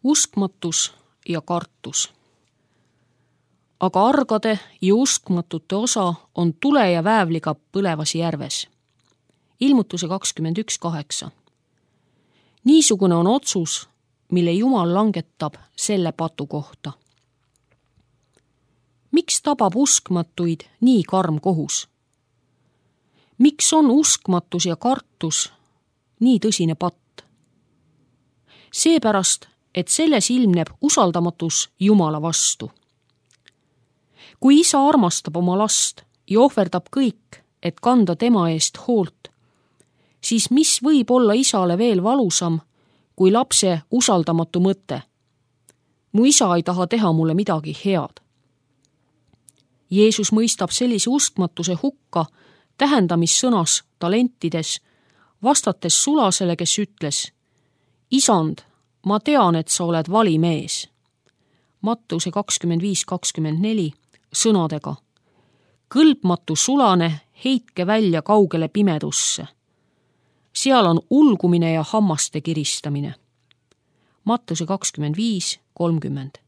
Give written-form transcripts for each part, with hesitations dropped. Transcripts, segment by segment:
Uskmatus ja kartus. Aga argade ja uskmatute osa on tule ja väävliga põlevas järves. Ilmutuse 21:8. Niisugune on otsus, mille Jumal langetab selle patu kohta. Miks tabab uskmatuid nii karm kohus? Miks on uskmatus ja kartus nii tõsine patt? Seepärast, et selles ilmneb usaldamatus Jumala vastu. Kui isa armastab oma last ja ohverdab kõik, et kanda tema eest hoolt, siis mis võib olla isale veel valusam kui lapse usaldamatu mõte? Mu isa ei taha teha mulle midagi head. Jeesus mõistab sellise uskmatuse hukka tähendamissõnas talentides, vastates sulasele, kes ütles: Isand, ma tean, et sa oled vali mees. Mattuse 25:24 sõnadega: kõlbmatu sulane, heitke välja kaugele pimedusse. Seal on ulgumine ja hammaste kiristamine. Mattuse 25:30.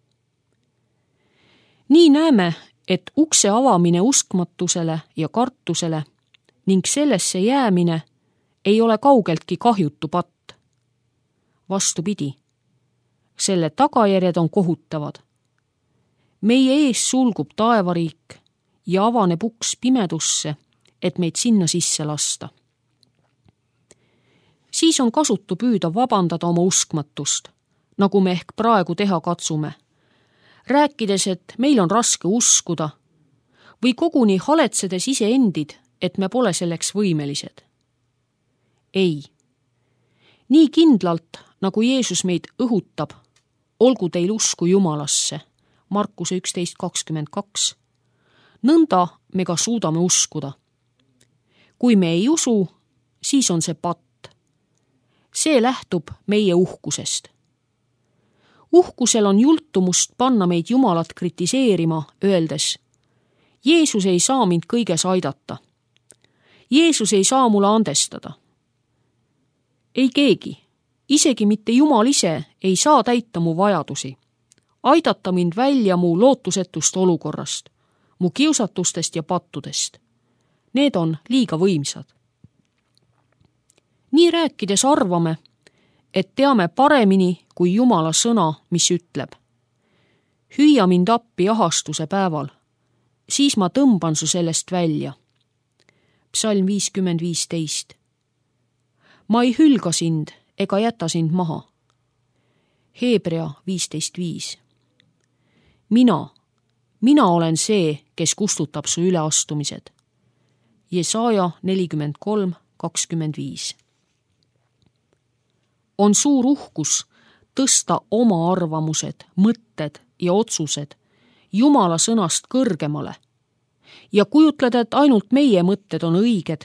Nii näeme, et ukse avamine uskmatusele ja kartusele ning sellesse jäämine ei ole kaugeltki kahjutu patt. Vastupidi, selle tagajärjed on kohutavad. Meie ees sulgub taevariik ja avaneb uks pimedusse, et meid sinna sisse lasta. Siis on kasutu püüda vabandada oma uskmatust, nagu me ehk praegu teha katsume, rääkides, et meil on raske uskuda või koguni haletsedes iseendid, et me pole selleks võimelised. Ei, nii kindlalt, nagu Jeesus meid õhutab, olgu teil usku Jumalasse, Markuse 11:22, nõnda me ka suudame uskuda. Kui me ei usu, siis on see patt. See lähtub meie uhkusest. Uhkusel on jultumust panna meid Jumalat kritiseerima, öeldes: Jeesus ei saa mind kõiges aidata. Jeesus ei saa mulle andestada. Ei keegi, isegi mitte Jumal ise, ei saa täita mu vajadusi, aidata mind välja mu lootusetust olukorrast, mu kiusatustest ja pattudest. Need on liiga võimsad. Nii rääkides arvame, et teame paremini kui Jumala sõna, mis ütleb: hüüa mind appi ahastuse päeval, siis ma tõmban su sellest välja. Psalm 50:15. Ma ei hülga sind ega jäta sind maha. Hebrea 15:5. Mina olen see, kes kustutab su üleastumised. Jesaja 43:25. On suur uhkus tõsta oma arvamused, mõtted ja otsused Jumala sõnast kõrgemale ja kujutleda, et ainult meie mõtted on õiged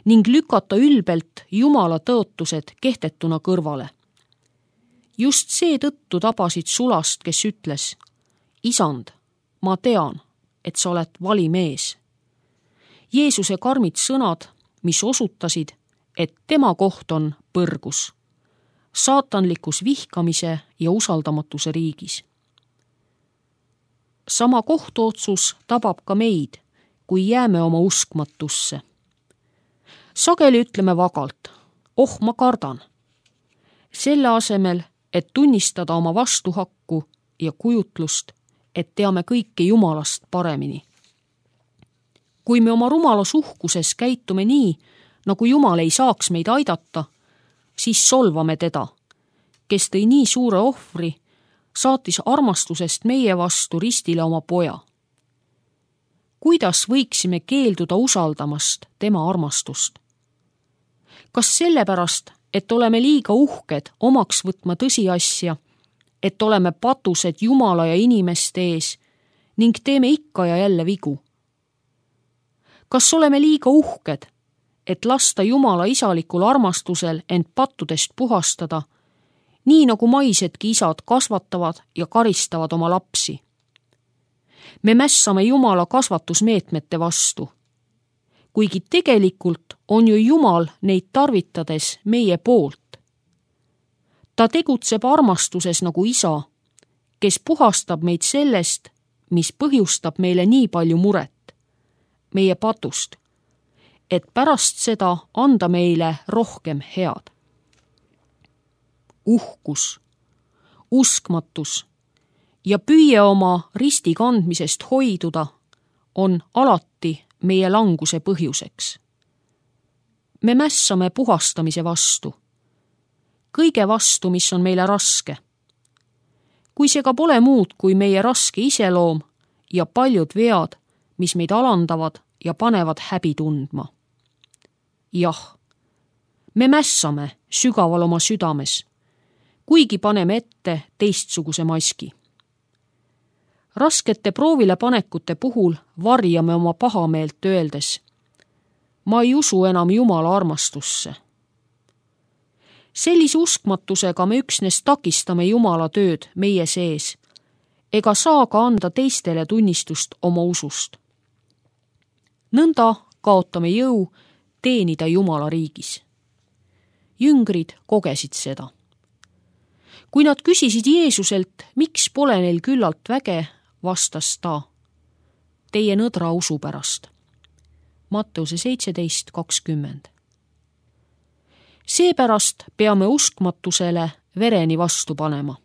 ning lükata ülbelt Jumala tõotused kehtetuna kõrvale. Just seetõttu tabasid sulast, kes ütles: Isand, ma tean, et sa oled vali mees. Jeesuse karmid sõnad, mis osutasid, et tema koht on põrgus, saatanlikus vihkamise ja usaldamatuse riigis. Sama kohtuotsus tabab ka meid, kui jääme oma uskmatusse. Sageli ütleme vagalt: oh, ma kardan. Selle asemel, et tunnistada oma vastuhakku ja kujutlust, et teame kõike Jumalast paremini. Kui me oma rumalas uhkuses käitume nii, nagu Jumal ei saaks meid aidata, siis solvame teda, kes tõi nii suure ohvri, saatis armastusest meie vastu ristile oma poja. Kuidas võiksime keelduda usaldamast tema armastust? Kas sellepärast, et oleme liiga uhked omaks võtma tõsiasja, et oleme patused Jumala ja inimeste ees ning teeme ikka ja jälle vigu? Kas oleme liiga uhked, et lasta Jumala isalikul armastusel end pattudest puhastada, nii nagu maisedki isad kasvatavad ja karistavad oma lapsi? Me mässame Jumala kasvatusmeetmete vastu, kuigi tegelikult on ju Jumal neid tarvitades meie poolt. Ta tegutseb armastuses nagu isa, kes puhastab meid sellest, mis põhjustab meile nii palju muret, meie patust, et pärast seda anda meile rohkem head. Uhkus, uskmatus ja püüe oma risti kandmisest hoiduda on alati meie languse põhjuseks. Me mässame puhastamise vastu, kõige vastu, mis on meile raske. Kui see ka pole muud kui meie raske iseloom ja paljud vead, mis meid alandavad ja panevad häbi tundma. Jah, me mässame sügaval oma südames, kuigi paneme ette teistsuguse maski. Raskete proovile panekute puhul varjame oma pahameelt öeldes: ma ei usu enam Jumala armastusse. Sellise uskmatusega me üksnes takistame Jumala tööd meie sees ega saa ka anda teistele tunnistust oma usust. Nõnda kaotame jõu teenida Jumala riigis. Jüngrid kogesid seda. Kui nad küsisid Jeesuselt, miks pole neil küllalt väge, vastas ta: teie nõdra usu pärast. Matteuse 17:20. Seepärast peame uskmatusele vereni vastu panema.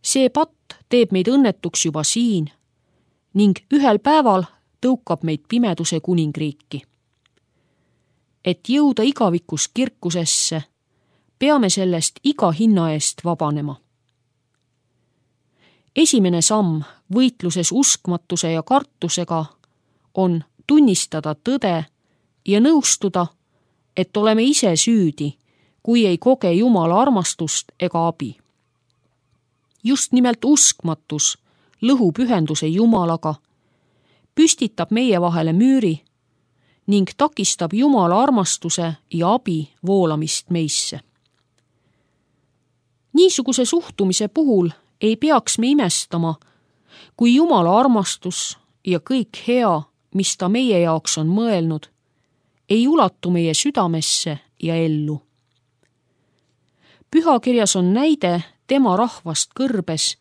See patt teeb meid õnnetuks juba siin ning ühel päeval tõukab meid pimeduse kuningriiki. Et jõuda igavikus kirkusesse, peame sellest iga hinna eest vabanema. Esimene samm võitluses uskmatuse ja kartusega on tunnistada tõde ja nõustuda, et oleme ise süüdi, kui ei koge Jumala armastust ega abi. Just nimelt uskmatus lõhub ühenduse Jumalaga, püstitab meie vahele müüri ning takistab Jumala armastuse ja abi voolamist meisse. Niisuguse suhtumise puhul ei peaks me imestama, kui Jumala armastus ja kõik hea, mis ta meie jaoks on mõelnud, ei ulatu meie südamesse ja ellu. Pühakirjas on näide tema rahvast kõrbes,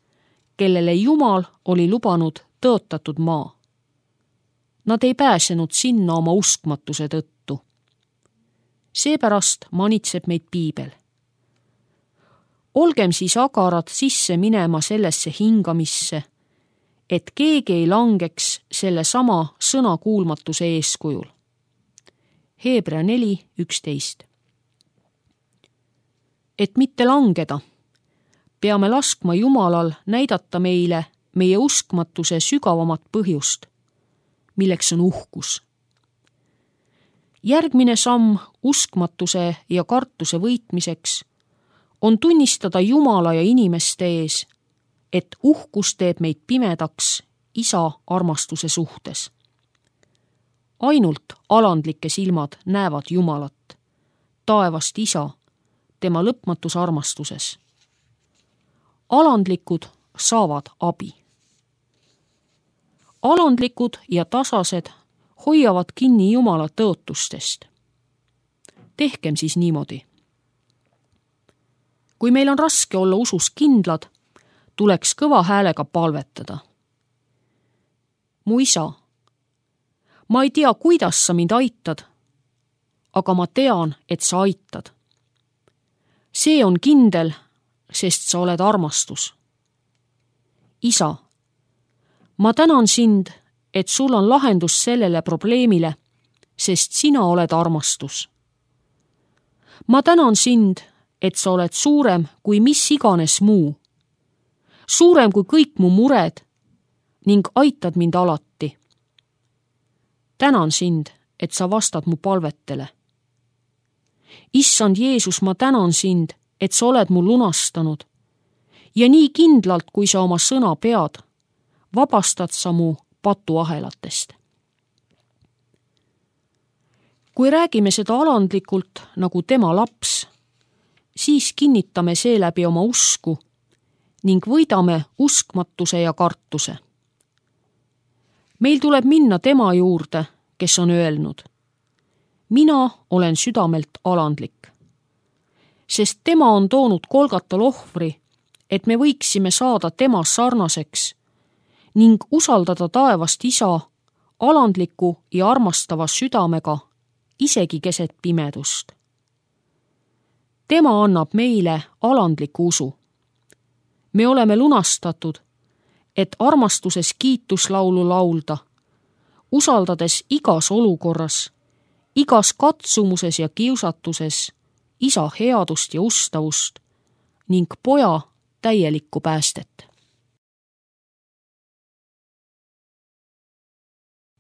kellele Jumal oli lubanud tõotatud maa. Nad ei pääsenud sinna oma uskmatuse tõttu. Seepärast manitseb meid piibel. Olgem siis agarad sisse minema sellesse hingamisse, et keegi ei langeks selle sama sõnakuulmatuse eeskujul. Hebra 4:11. Et mitte langeda, peame laskma Jumalal näidata meile meie uskmatuse sügavamat põhjust, milleks on uhkus. Järgmine samm uskmatuse ja kartuse võitmiseks on tunnistada Jumala ja inimeste ees, et uhkus teeb meid pimedaks isa armastuse suhtes. Ainult alandlike silmad näevad Jumalat, taevast isa, tema lõpmatus armastuses. Alandlikud saavad abi. Alandlikud ja tasased hoiavad kinni Jumala tõotustest. Tehkem siis niimoodi. Kui meil on raske olla usus kindlad, tuleks kõva häälega palvetada. Mu isa, ma ei tea, kuidas sa mind aitad, aga ma tean, et sa aitad. See on kindel, sest sa oled armastus. Isa, ma tänan sind, et sul on lahendus sellele probleemile, sest sina oled armastus. Ma tänan sind, et sa oled suurem kui mis iganes muu, suurem kui kõik mu mured ning aitad mind alati. Tänan sind, et sa vastad mu palvetele. Issand Jeesus, ma tänan sind, et sa oled mu lunastanud ja nii kindlalt, kui sa oma sõna pead, vabastad sa mu patuahelatest. Kui räägime seda alandlikult nagu tema laps, siis kinnitame seeläbi oma usku ning võidame uskmatuse ja kartuse. Meil tuleb minna tema juurde, kes on öelnud: mina olen südamelt alandlik. sest tema on toonud Golgatal ohvri, et me võiksime saada tema sarnaseks ning usaldada taevast Isa alandliku ja armastava südamega, isegi keset pimedust. Tema annab meile alandliku usu. Me oleme lunastatud, et armastuses kiituslaulu laulda, usaldades igas olukorras, igas katsumuses ja kiusatuses Isa headust ja ustavust ning Poja täielikku päästet.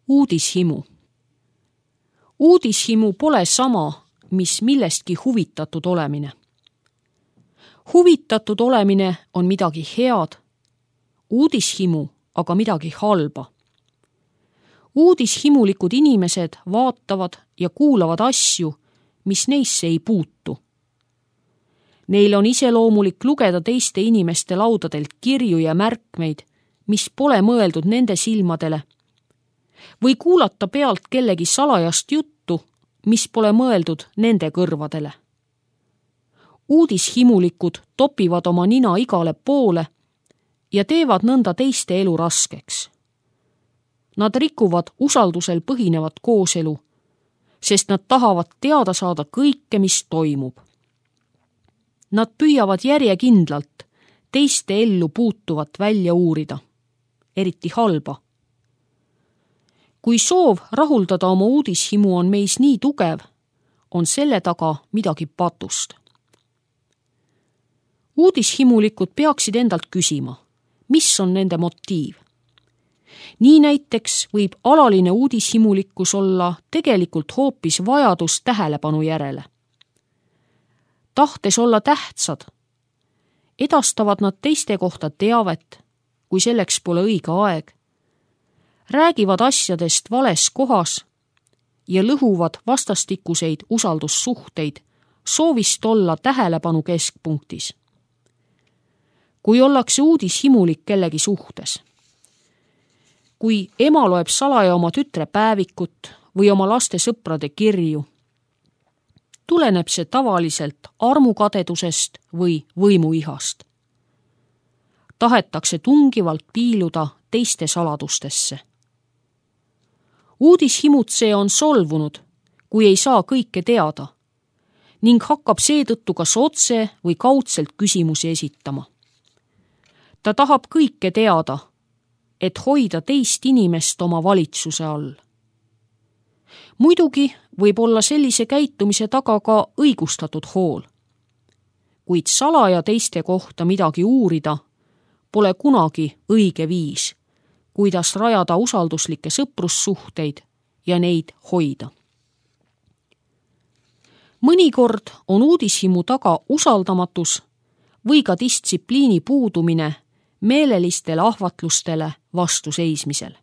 Uudishimu. Uudishimu pole sama, mis millestki huvitatud olemine. Huvitatud olemine on midagi head, uudishimu aga midagi halba. Uudishimulikud inimesed vaatavad ja kuulavad asju, mis neisse ei puutu. Neil on iseloomulik lugeda teiste inimeste laudadelt kirju ja märkmeid, mis pole mõeldud nende silmadele, või kuulata pealt kellegi salajast juttu, mis pole mõeldud nende kõrvadele. Uudishimulikud topivad oma nina igale poole ja teevad nõnda teiste elu raskeks. Nad rikuvad usaldusel põhinevat kooselu, sest nad tahavad teada saada kõike, mis toimub. Nad püüavad järjekindlalt teiste ellu puutuvat välja uurida, eriti halba. Kui soov rahuldada oma uudishimu on meis nii tugev, on selle taga midagi patust. Uudishimulikud peaksid endalt küsima, mis on nende motiiv. Nii näiteks võib alaline uudishimulikkus olla tegelikult hoopis vajadus tähelepanu järele. Tahtes olla tähtsad, edastavad nad teiste kohta teavet, kui selleks pole õige aeg, räägivad asjadest vales kohas ja lõhuvad vastastikuseid usaldussuhteid soovist olla tähelepanu keskpunktis. Kui ollakse uudishimulik kellegi suhtes, kui ema loeb salaja oma tütre päevikut või oma laste sõprade kirju, tuleneb see tavaliselt armukadedusest või võimuihast. Tahetakse tungivalt piiluda teiste saladustesse. Uudishimutseja on solvunud, kui ei saa kõike teada ning hakkab seetõttu kas otse või kaudselt küsimusi esitama. Ta tahab kõike teada, et hoida teist inimest oma valitsuse all. Muidugi võib olla sellise käitumise taga ka õigustatud hool. Kuid salaja teiste kohta midagi uurida pole kunagi õige viis, kuidas rajada usalduslikke sõprussuhteid ja neid hoida. Mõnikord on uudishimu taga usaldamatus või ka distsipliini puudumine meelelistele ahvatlustele vastu seismisel.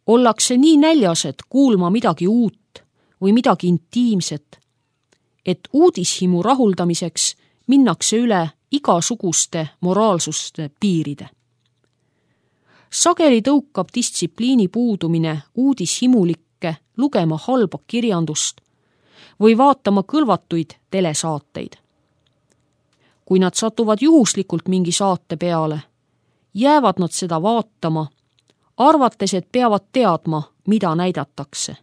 Ollakse nii näljased kuulma midagi uut või midagi intiimset, et uudishimu rahuldamiseks minnakse üle igasuguste moraalsuste piiride. Sageli tõukab distsipliini puudumine uudishimulikke lugema halba kirjandust või vaatama kõlvatuid telesaateid. Kui nad satuvad juhuslikult mingi saate peale, jäävad nad seda vaatama, arvates, et peavad teadma, mida näidatakse.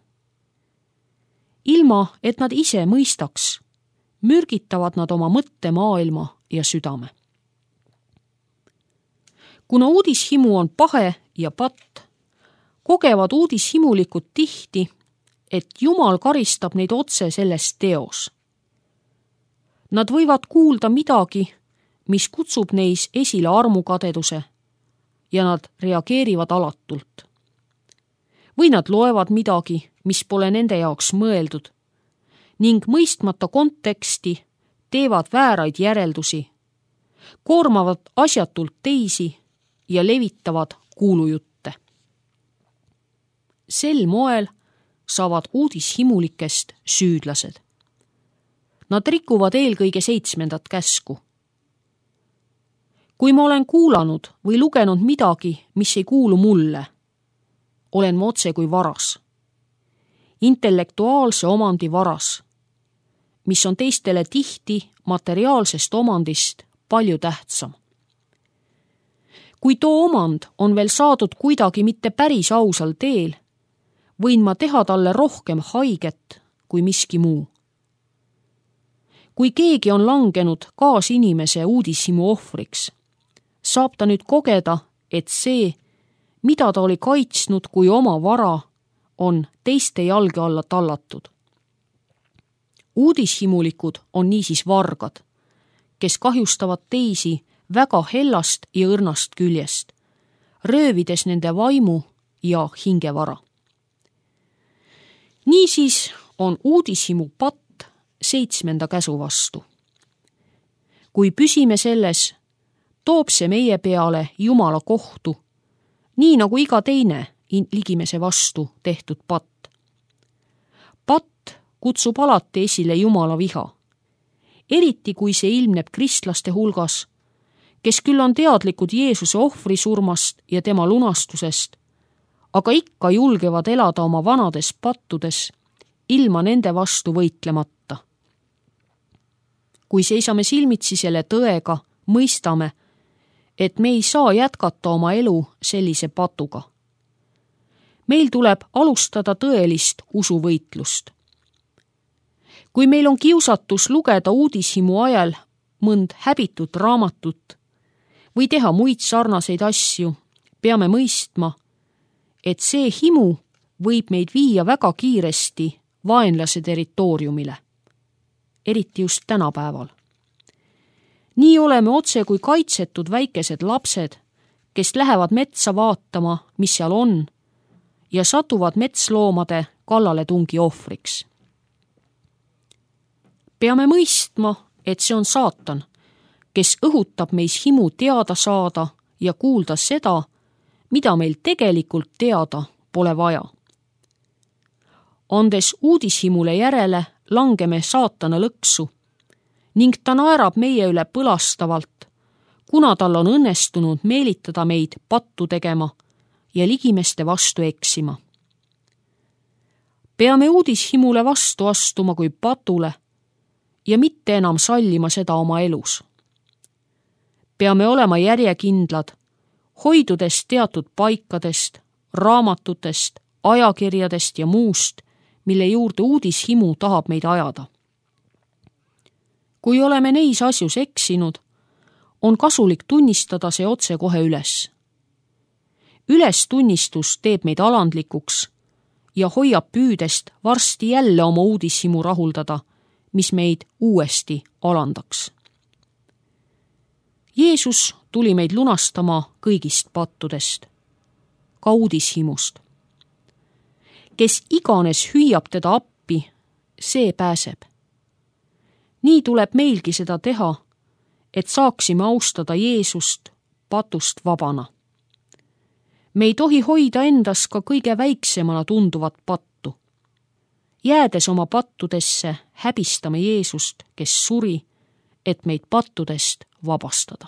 Ilma, et nad ise mõistaks, mürgitavad nad oma mõttemaailma ja südame. Kuna uudishimu on pahe ja patt, kogevad uudishimulikud tihti, et Jumal karistab neid otse selles teos. Nad võivad kuulda midagi, mis kutsub neis esile armukadeduse ja nad reageerivad alatult. Või nad loevad midagi, mis pole nende jaoks mõeldud ning mõistmata konteksti teevad vääraid järeldusi, koormavad asjatult teisi ja levitavad kuulujutte. Sel moel saavad uudishimulikest süüdlased. Nad rikuvad eelkõige 7. käsku. Kui ma olen kuulanud või lugenud midagi, mis ei kuulu mulle, olen ma otse kui varas. Intellektuaalse omandi varas. mis on teistele tihti materiaalsest omandist palju tähtsam. Kui too omand on veel saadud kuidagi mitte päris ausal teel, võin ma teha talle rohkem haiget kui miski muu. Kui keegi on langenud kaasinimese uudishimu ohvriks, saab ta nüüd kogeda, et see, mida ta oli kaitsnud kui oma vara, on teiste jalge alla tallatud. Uudishimulikud on niisiis vargad, kes kahjustavad teisi väga hellast ja õrnast küljest, röövides nende vaimu ja hingevara. Niisiis on uudishimu patt 7. käsu vastu. Kui püsime selles, toob see meie peale Jumala kohtu, nii nagu iga teine ligimese vastu tehtud patt. Patt kutsub alati esile Jumala viha, eriti kui see ilmneb kristlaste hulgas, kes küll on teadlikud Jeesuse ohvrisurmast ja tema lunastusest, aga ikka julgevad elada oma vanades pattudes, ilma nende vastu võitlemata. Kui seisame silmitsi selle tõega, mõistame, et me ei saa jätkata oma elu sellise patuga. Meil tuleb alustada tõelist usuvõitlust. Kui meil on kiusatus lugeda uudishimu ajal mõnd häbitut raamatut või teha muid sarnaseid asju, peame mõistma, et see himu võib meid viia väga kiiresti vaenlase territooriumile, eriti just tänapäeval. Nii oleme otse kui kaitsetud väikesed lapsed, kes lähevad metsa vaatama, mis seal on, ja satuvad metsloomade kallaletungi ohvriks. Peame mõistma, et see on saatan, kes õhutab meis himu teada saada ja kuulda seda, mida meil tegelikult teada pole vaja. Andes uudishimule järele, langeme saatana lõksu ning ta naerab meie üle põlastavalt, kuna tal on õnnestunud meelitada meid pattu tegema ja ligimeste vastu eksima. Peame uudishimule vastu astuma kui patule ja mitte enam sallima seda oma elus. Peame olema järjekindlad, hoidudes teatud paikadest, raamatutest, ajakirjadest ja muust, mille juurde uudishimu tahab meid ajada. Kui oleme neis asjus eksinud, on kasulik tunnistada see otse kohe üles. Ülestunnistus teeb meid alandlikuks ja hoiab püüdest varsti jälle oma uudishimu rahuldada, mis meid uuesti alandaks. Jeesus tuli meid lunastama kõigist pattudest, ka uudishimust. Kes iganes hüüab teda appi, see pääseb. Nii tuleb meilgi seda teha, et saaksime austada Jeesust patust vabana. Me ei tohi hoida endas ka kõige väiksemana tunduvat pattu. Jäädes oma pattudesse, häbistame Jeesust, kes suri, et meid pattudest vabastada.